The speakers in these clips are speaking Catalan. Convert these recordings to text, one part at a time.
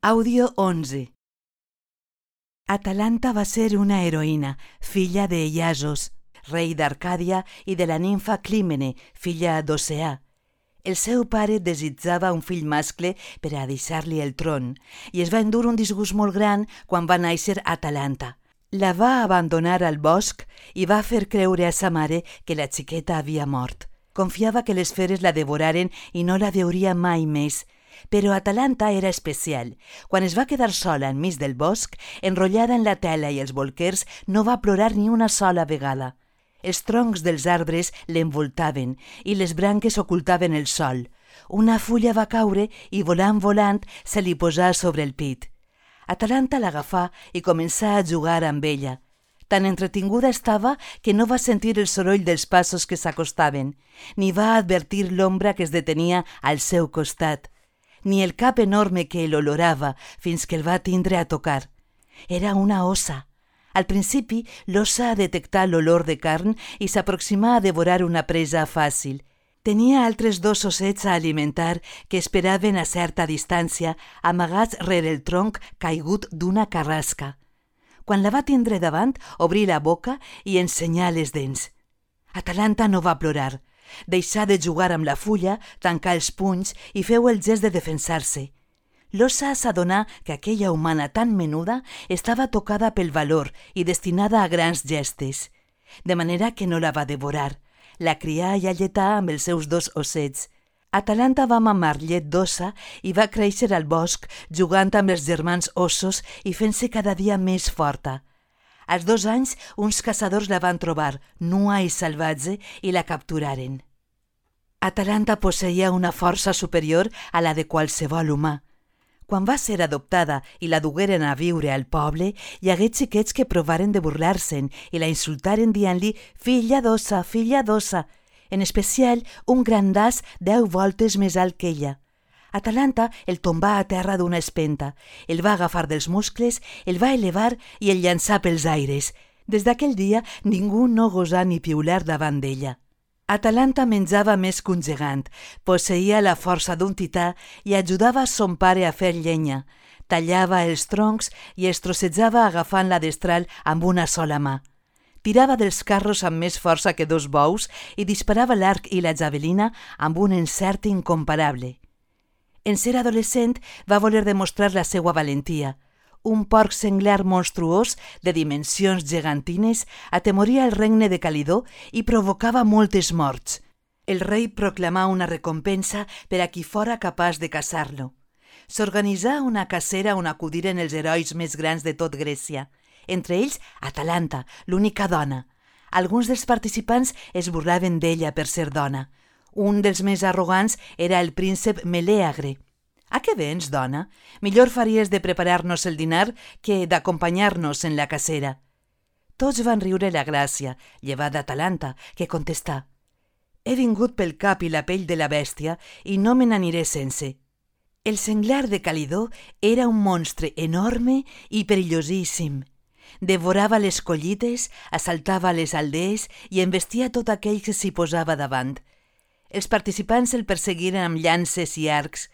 Àudio 11. Atalanta va ser una heroïna, filla de Iasos, rei d'Arcàdia, i de la nimfa Clímene, filla d'Oceà. El seu pare desitjava un fill mascle per a deixar-li el tron, i es va endur un disgust molt gran quan va néixer Atalanta. La va abandonar al bosc i va fer creure a sa mare que la xiqueta havia mort. Confiava que les feres la devoraren i no la veuria mai més. Però Atalanta era especial. Quan es va quedar sola enmig del bosc, enrotllada en la tela i els bolquers, no va plorar ni una sola vegada. Els troncs dels arbres l'envoltaven i les branques ocultaven el sol. Una fulla va caure i volant se li posà sobre el pit. Atalanta l'agafà i començà a jugar amb ella. Tan entretinguda estava que no va sentir el soroll dels passos que s'acostaven, ni va advertir l'ombra que es detenia al seu costat, ni el cap enorme que l'olorava fins que el va tindre a tocar. Era una ossa. Al principi, l'ossa detectà l'olor de carn i s'aproximà a devorar una presa fàcil. Tenia altres 2 ossets a alimentar que esperaven a certa distància, amagats rere el tronc caigut d'una carrasca. Quan la va tindre davant, obrí la boca i ensenyà les dents. Atalanta no va plorar. Deixà de jugar amb la fulla, tancà els punys i feu el gest de defensar-se. L'ossa s'adonà que aquella humana tan menuda estava tocada pel valor i destinada a grans gestes, de manera que no la va devorar. La crià i alletà amb els seus 2 ossets. Atalanta va mamar llet d'ossa i va créixer al bosc jugant amb els germans ossos i fent-se cada dia més forta. Als 2 anys, uns caçadors la van trobar, nua i salvatge, i la capturaren. Atalanta posseïa una força superior a la de qualsevol humà. Quan va ser adoptada i la dugueren a viure al poble, hi hagué xiquets que provaren de burlar-se'n i la insultaren dient-li «filla d'ossa, filla d'ossa», en especial un gran das 10 voltes més alt que ella. Atalanta el tombà a terra d'una espenta, el va agafar dels muscles, el va elevar i el llançà pels aires. Des d'aquell dia ningú no gosà ni piular davant d'ella. Atalanta menjava més que un gegant, posseïa la força d'un tità i ajudava a son pare a fer llenya. Tallava els troncs i els trossejava agafant la destral amb una sola mà. Tirava dels carros amb més força que 2 bous i disparava l'arc i la javelina amb un encert incomparable. En ser adolescent va voler demostrar la seva valentia. Un porc senglar monstruós de dimensions gegantines atemoria el regne de Calidó i provocava moltes morts. El rei proclamà una recompensa per a qui fora capaç de caçar-lo. S'organitzà una cacera on acudiren els herois més grans de tot Grècia, entre ells Atalanta, l'única dona. Alguns dels participants es burlaven d'ella per ser dona. Un dels més arrogants era el príncep Melèagre. «A què vens, dona? Millor faries de preparar-nos el dinar que d'acompanyar-nos en la cacera». Tots van riure la gràcia, llevat d'Atalanta, que contestà «He vingut pel cap i la pell de la bèstia i no me n'aniré sense». El senglar de Calidó era un monstre enorme i perillosíssim. Devorava les collites, assaltava les aldees i embestia tot aquell que s'hi posava davant. Els participants el perseguiren amb llances i arcs.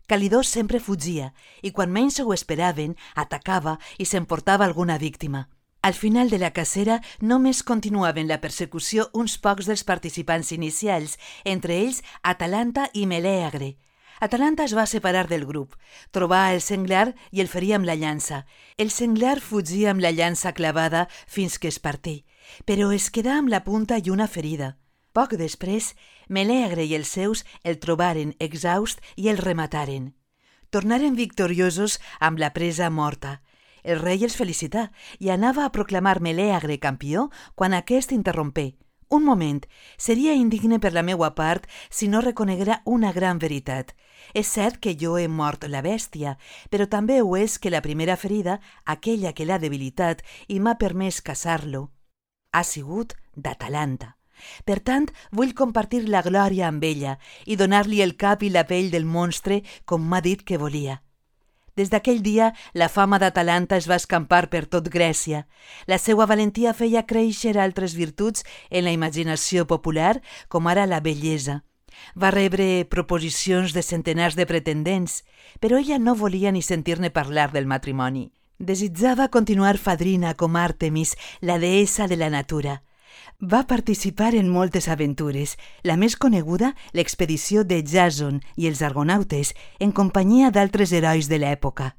Calidó sempre fugia i quan menys ho esperaven atacava i s'emportava alguna víctima. Al final de la cacera només continuaven la persecució uns pocs dels participants inicials, entre ells Atalanta i Melèagre. Atalanta es va separar del grup, trobà el senglar i el feria amb la llança. El senglar fugia amb la llança clavada fins que es partí, però es quedà amb la punta i una ferida. Poc després, Melèagre i els seus el trobaren exhaust i el remataren. Tornaren victoriosos amb la presa morta. El rei els felicità i anava a proclamar Melèagre campió quan aquest interrompé. «Un moment, seria indigne per la meua part si no reconeguera una gran veritat. És cert que jo he mort la bèstia, però també ho és que la primera ferida, aquella que l'ha debilitat i m'ha permès caçar-lo, ha sigut d'Atalanta. Per tant, vull compartir la glòria amb ella i donar-li el cap i la pell del monstre com m'ha dit que volia». Des d'aquell dia, la fama d'Atalanta es va escampar per tot Grècia. La seva valentia feia créixer altres virtuts en la imaginació popular, com ara la bellesa. Va rebre proposicions de centenars de pretendents, però ella no volia ni sentir-ne parlar del matrimoni. Desitjava continuar fadrina com Àrtemis, la deessa de la natura. Va participar en moltes aventures, la més coneguda, l'expedició de Jàson i els argonautes, en companyia d'altres herois de l'època.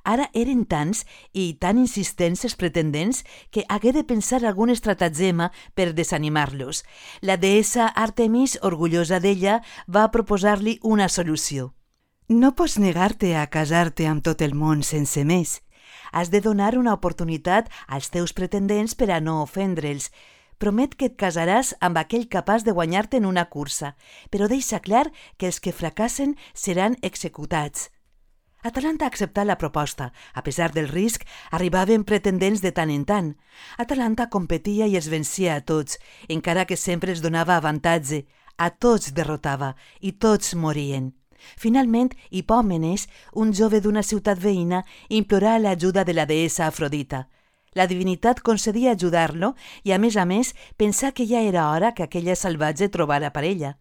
Ara eren tants i tan insistents els pretendents que hagué de pensar algun estratagema per desanimar-los. La deessa Àrtemis, orgullosa d'ella, va proposar-li una solució. No pots negar-te a casar-te amb tot el món sense més. Has de donar una oportunitat als teus pretendents per a no ofendre'ls. Promet que et casaràs amb aquell capaç de guanyar-te en una cursa, però deixa clar que els que fracassen seran executats. Atalanta acceptà la proposta. A pesar del risc, arribaven pretendents de tant en tant. Atalanta competia i els vencia a tots, encara que sempre els donava avantatge. A tots derrotava i tots morien. Finalment, Hipòmenes, un jove d'una ciutat veïna, implorà l'ajuda de la deessa Afrodita. La divinitat concedia ajudar-lo i, a més, pensà que ja era hora que aquella salvatge trobara parella.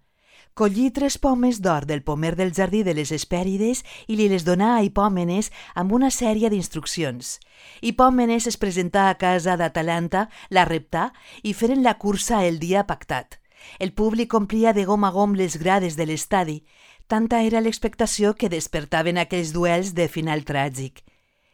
Collí 3 pomes d'or del pomer del jardí de les Hespèrides i li les donà a Hipòmenes amb una sèrie d'instruccions. Hipòmenes es presentà a casa d'Atalanta, la reptà i feren la cursa el dia pactat. El públic omplia de gom a gom les grades de l'estadi. Tanta era l'expectació que despertaven aquells duels de final tràgic.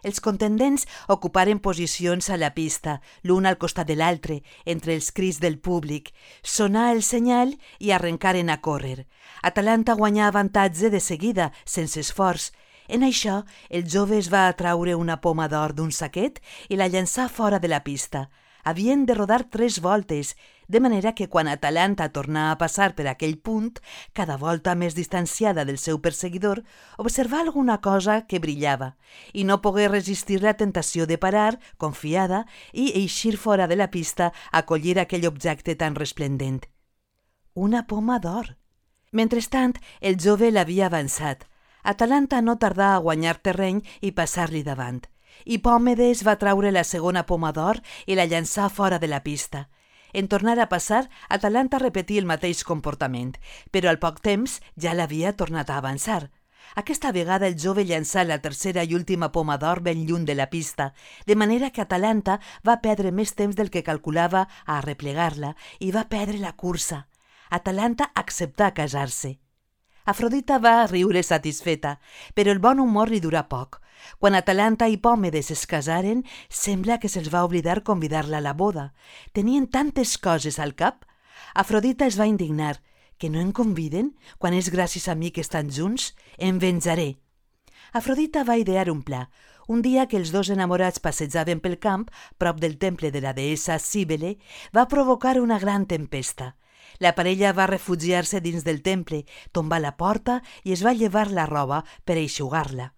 Els contendents ocuparen posicions a la pista, l'un al costat de l'altre, entre els crits del públic. Sonà el senyal i arrencaren a córrer. Atalanta guanyà avantatge de seguida, sense esforç. En això, el jove es va atraure una poma d'or d'un saquet i la llançà fora de la pista. Havien de rodar 3 voltes, de manera que quan Atalanta tornà a passar per aquell punt, cada volta més distanciada del seu perseguidor, observà alguna cosa que brillava i no pogué resistir la tentació de parar, confiada, i eixir fora de la pista a collir aquell objecte tan resplendent. Una poma d'or. Mentrestant, el jove l'havia avançat. Atalanta no tardà a guanyar terreny i passar-li davant. Hipòmedes va traure la segona poma d'or i la llançà fora de la pista. En tornar a passar, Atalanta repetí el mateix comportament, però al poc temps ja l'havia tornat a avançar. Aquesta vegada el jove llançà la tercera i última poma d'or ben lluny de la pista, de manera que Atalanta va perdre més temps del que calculava a arreplegar-la i va perdre la cursa. Atalanta acceptà casar-se. Afrodita va riure satisfeta, però el bon humor li durà poc. Quan Atalanta i Hipòmedes es casaren, sembla que se'ls va oblidar convidar-la a la boda. Tenien tantes coses al cap. Afrodita es va indignar. Que no em conviden? Quan és gràcies a mi que estan junts? Em venjaré. Afrodita va idear un pla. Un dia que els 2 enamorats passejaven pel camp, prop del temple de la deessa Cíbele, va provocar una gran tempesta. La parella va refugiar-se dins del temple, tombar la porta i es va llevar la roba per eixugar-la.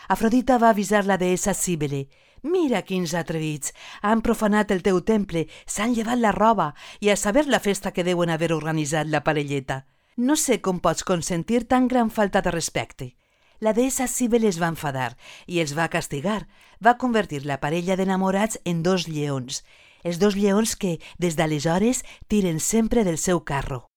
Afrodita va avisar la deessa Cíbele. «Mira quins atrevits! Han profanat el teu temple, s'han llevat la roba i a saber la festa que deuen haver organitzat la parelleta. No sé com pots consentir tan gran falta de respecte». La deessa Cíbele es va enfadar i els va castigar. Va convertir la parella d'enamorats en 2 lleons. Els 2 lleons que, des d'aleshores, tiren sempre del seu carro.